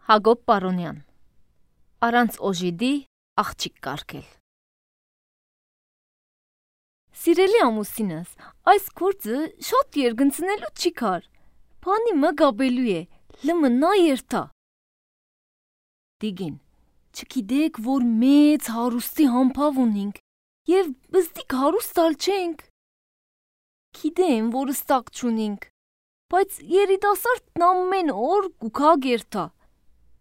Հակոբ Պարոնյան Առանց օժիդի աղջիկ կարգել Սիրելի ամուսինս, այս գործը շատ երգնցնելու չի կար, պանի մը գաբելու է, լմը նա երթա։ Դիգին, չգիտեք, որ մեծ հարուստի համբավ ունինք, և բզդիկ հարուստալ չենք։ Գիտեմ, որ ստակ չունինք, բայց երիտասարդն ամեն օր գուքա գերթա։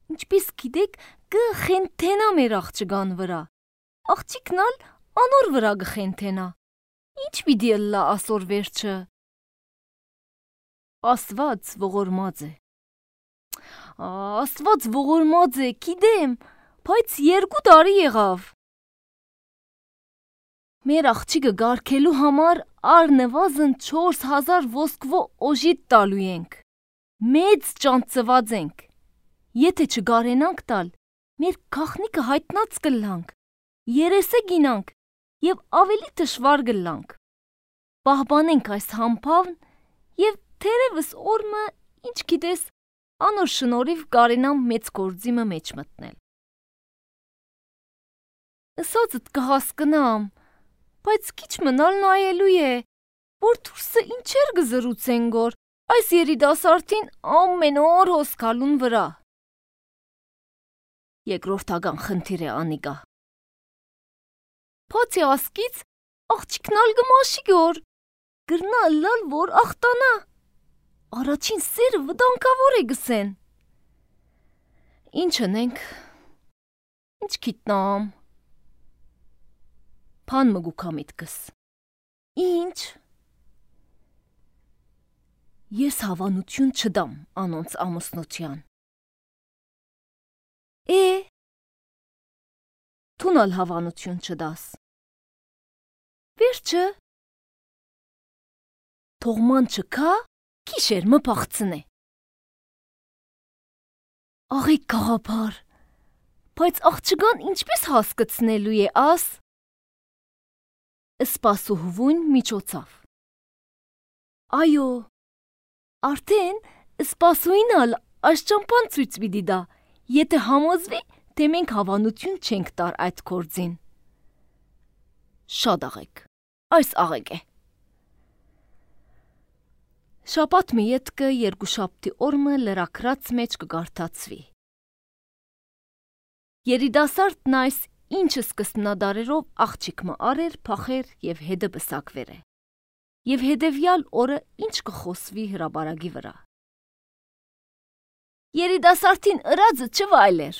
Ինչպես գիտեք, գխենթենա մեր աղջկան վրա, աղջիկն ալ անոր վրա գխենթենա, ինչ պիտի ըլլա ասոր վերջը։ Աստված ողորմած է։ Աստված ողորմած է, գիտեմ, բայց 2 տարի եղավ։ Մեր աղջիկը գարքելու համար առնվազն 4000 ոսկվո օժիտ տալու ենք, մեծ ճանծված ենք, եթե չգարենանք տալ, մեր գախնիկը հայտնած կլանք, երեսե գինանք և ավելի դժվար գլանք, պահպանենք այս համբավն և թերևս օրմը, ինչ գիտես, անոր շնորհիվ կարենամ մեծ գործիմը մեջ մտնել։ Ըսածդ կհասկնամ, բայց քիչ մնալ նայելու է, որ դուրսը ինչեր գզրուցեն գոր այս երիտասարդին ամեն օր հոսքալուն վրա։ Երկրորդական խնդիր է անիկա։ Բացի ասկից, աղջիկն ալ գմաշի գոր, գրնա ըլլալ, որ ախտանա։ Առաջին սերը վտանգավոր է գսեն։ Ինչ ընենք, ինչ գիտնամ։ Փան մգուքա միտքս։ Ինչ։ Ես հավանություն չդամ անոնց ամուսնության։ Թունալ հավանություն չդաս։ Վերջը։ Թողման չկա, քիշեր մպաղցնե։ Աղիկ կաղապար, բայց աղջկան ինչպես հասկացնելու է աս։ Սպասուհվուն միջոցավ։ Այո, արդեն սպասուին ալ աշճամպան ցույց պիտի դա, եթե համոզվի, թե մենք հավանություն չենք տար այդ գործին։ Շատ աղեք, այս աղեք է։ Շաբաթ մի ետքը երկուշաբթի օրմը լրակրած մեջ կգարթացվի։ Երիտասարդն այս ինչը սկսնադարերով աղջիկ մը արեր, փախեր և հետը բսակվեր է։ Եվ հետևյալ օրը ինչ կխոսվի հրաբարագի վրա։ Երիտասարդին ըրածը չվայլեր։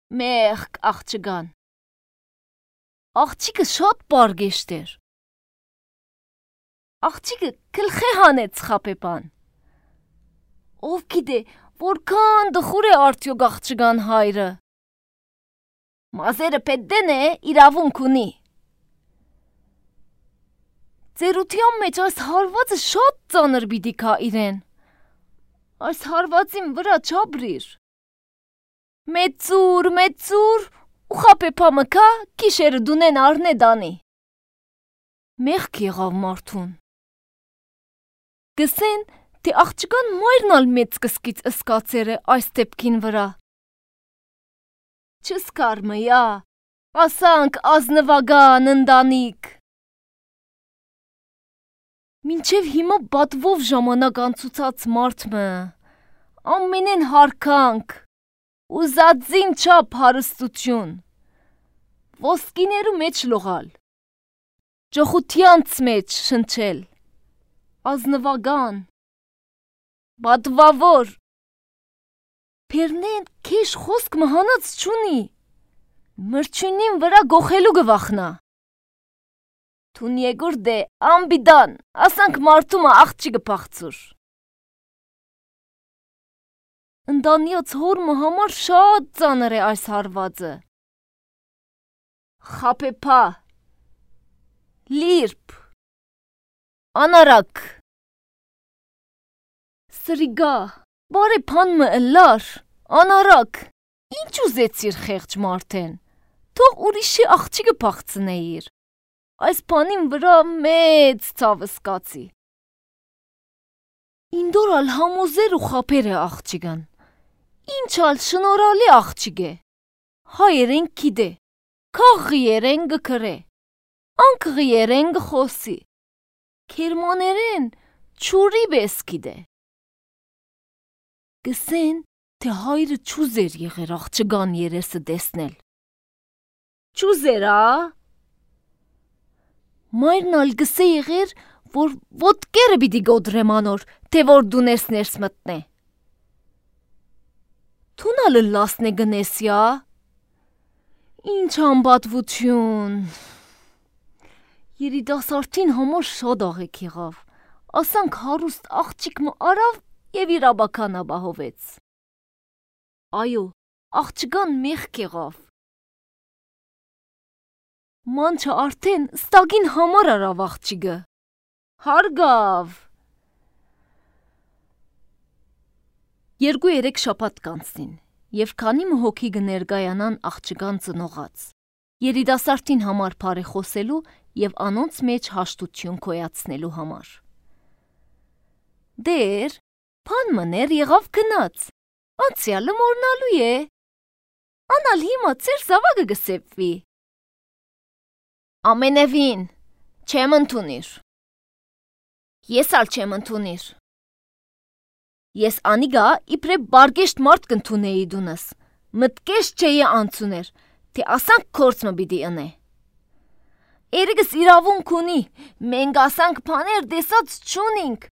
Մեղք աղջկան։ Աղջիկը շատ պարգեշտ էր։ Աղջիկը գլխի հանեց խապեպան։ Ով գիտե, որքան դխուր է արդյոք աղջկան հայրը։ Մազերը պետդեն է, իրավունք ունի։ Ծերության մեջ այս հարվածը շատ ծանր պիտի կա իրեն։ Այս հարվածին վրա չաբրիր։ Մեծուր, ու խապեպա մկա, կիշերը դունեն արնե դանի։ Մեղք եղավ մարդուն։ Գսեն, թե աղջկան մայրն ալ մեծ կսկից ըսկացեր է այս տեպքին վրա։ Չսկար մյա, ասանք ազնվագան ընտանիք։ Մինչև հիմա բատվով ժամանակ անցուցած մարդմը, ամենեն հարկանք, ուզածին չափ հարստություն, ոսկիներու մեջ լողալ, ճոխությանց մեջ շնչել, ազնվագան, բատվավոր, պերնեն կեշ խոսք մհանած չունի, մրջունին վրա գոխելու գվախնա։ Թուն եգուրդ է, ամբիդան, ասանք մարդումը աղջիկը պաղցուր։ Ընտանյաց հորմը համար շատ ծանր է այս հարվածը։ Խապեպա, լիրպ, անարակ, սրիգա, բարե պանմը ըլար, անարակ, ինչ ուզեցիր խեղճ մարդեն, թող ուրիշի աղջիկը պաղցնեիր, այս պանին վրա մեծ ցավ սկացի։ Ինդոր ալ համոզեր ու խապեր է աղջիկան, Ինչ ալ շնորհալի աղջիկ է։ Հայերեն գիտե, քաղղիերեն գքրե, անկղիերեն գխոսի, քերմաներեն չուրի բես գիտե։ Գսեն, թե հայրը չուզեր եղեր աղջկան երեսը տեսնել։ Չուզեր, Մայրն ալ գսե եղեր, որ ոտկերը պիտի գոդրեմ անոր, թե որ դու ներս մտնե։ Թուն ալը լասնե գնեսյա։ Ինչ անբատվություն։ Երիտասարդին համար շատ աղեք եղավ, ասանք հարուստ աղջիկ մը արավ և իր աբականա բահովեց։ Այո, աղջկան մեղք եղավ։ Մանչը արդեն ստագին համար արավ աղջիկը։ Հարգավ։ 2-3 շաբաթ կանցնին, և քանի հոգի կներկայանան աղջկան ծնողած, երիտասարդին համար բարեխոսելու և անոնց մեջ հաշտություն գոյացնելու համար։ Դեր, բան մներ եղավ գնաց, անցյալը մոռնալու է, անալ հիմա ծեր զավակը կսեպվի։ Ամենևին, չեմ ընդունիր։ Ես ալ չեմ ընդունիր։ Ես անիգա իբրև բարգեշտ մարդ կընդունեի դունս, մտկեշ չէի անցուներ, թե ասանք կորցմը պիտի ընե։ Երեգս իրավունք ունի, մենք ասանք բաներ դեսած չունինք,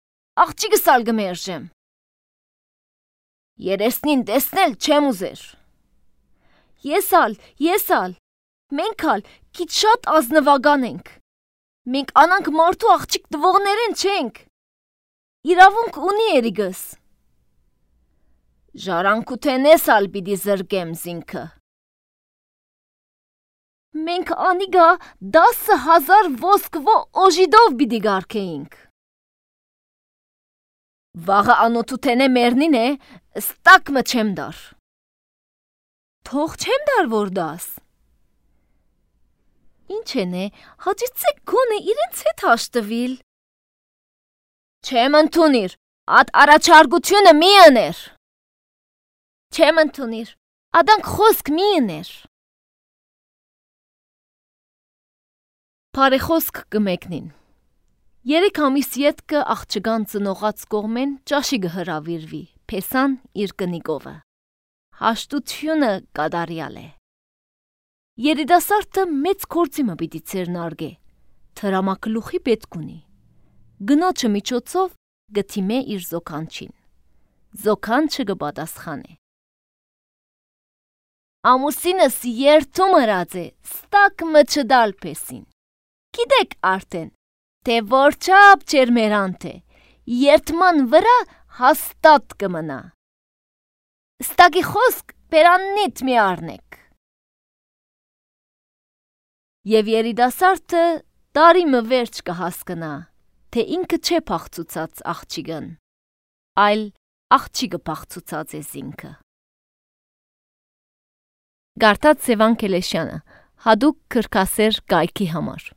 աղջիկս ալ գմերժեմ։ Երեսնին տեսնել չեմ ուզեր։ Ես ալ, մենք ալ քիչ շատ ազնվական ենք։ Մենք անանք մարդու աղջիկ տվողներեն չենք։ Իրավունք ունի երիգս։ Ժառանգութենես ալ պիտի զրկեմ զինքը։ Մենք անիգա 10,000 ոսկվո օժիդով պիտի գարկեինք։ Վաղը անոթութենե մերնին է, ստակ մը չեմ դար։ Թող չեմ դար որ դաս։ Ինչ են է, հաճիցեք գոնե իրենց հետ հաշտվիլ։ Չեմ ընդունիր, ատ առաջարկությունը մի ըներ։ Չեմ ընդունիր, ադանք խոսք մի ըներ։ Բարեխոսք կմեկնին։ 3 ամիս ետքը աղջկան ծնողած կողմեն ճաշի կհրավիրվի, փեսան իր կնիկովը։ Հաշտությունը կատարյալ է։ Երիտասարդը մեծ գործի մը պիտի ցերնարգե, թրամակլուխի պետք ունի։ Գնոջը միջոցով գթիմե իր զոքանչին։ Զոքանչը կպատասխանե։ Ամուսինս երթում հրած է, ստակ մը չդալ պեսին։ Գիտեք արդեն, թե որչապ չեր մերանտ է, երթման վրա հաստատ կմնա։ Ստակի խոսք պերաննիտ մի արնեք։ Եվ երիտասարդը տարի մը վերջ կհասկնա, թե ինքը չէ փախցուցած աղջիկն, այլ աղջիկը փախցուցած է զինքը։ Գարտած Սևան Քելեշյանը, հadoop քրքասեր կայքի համար։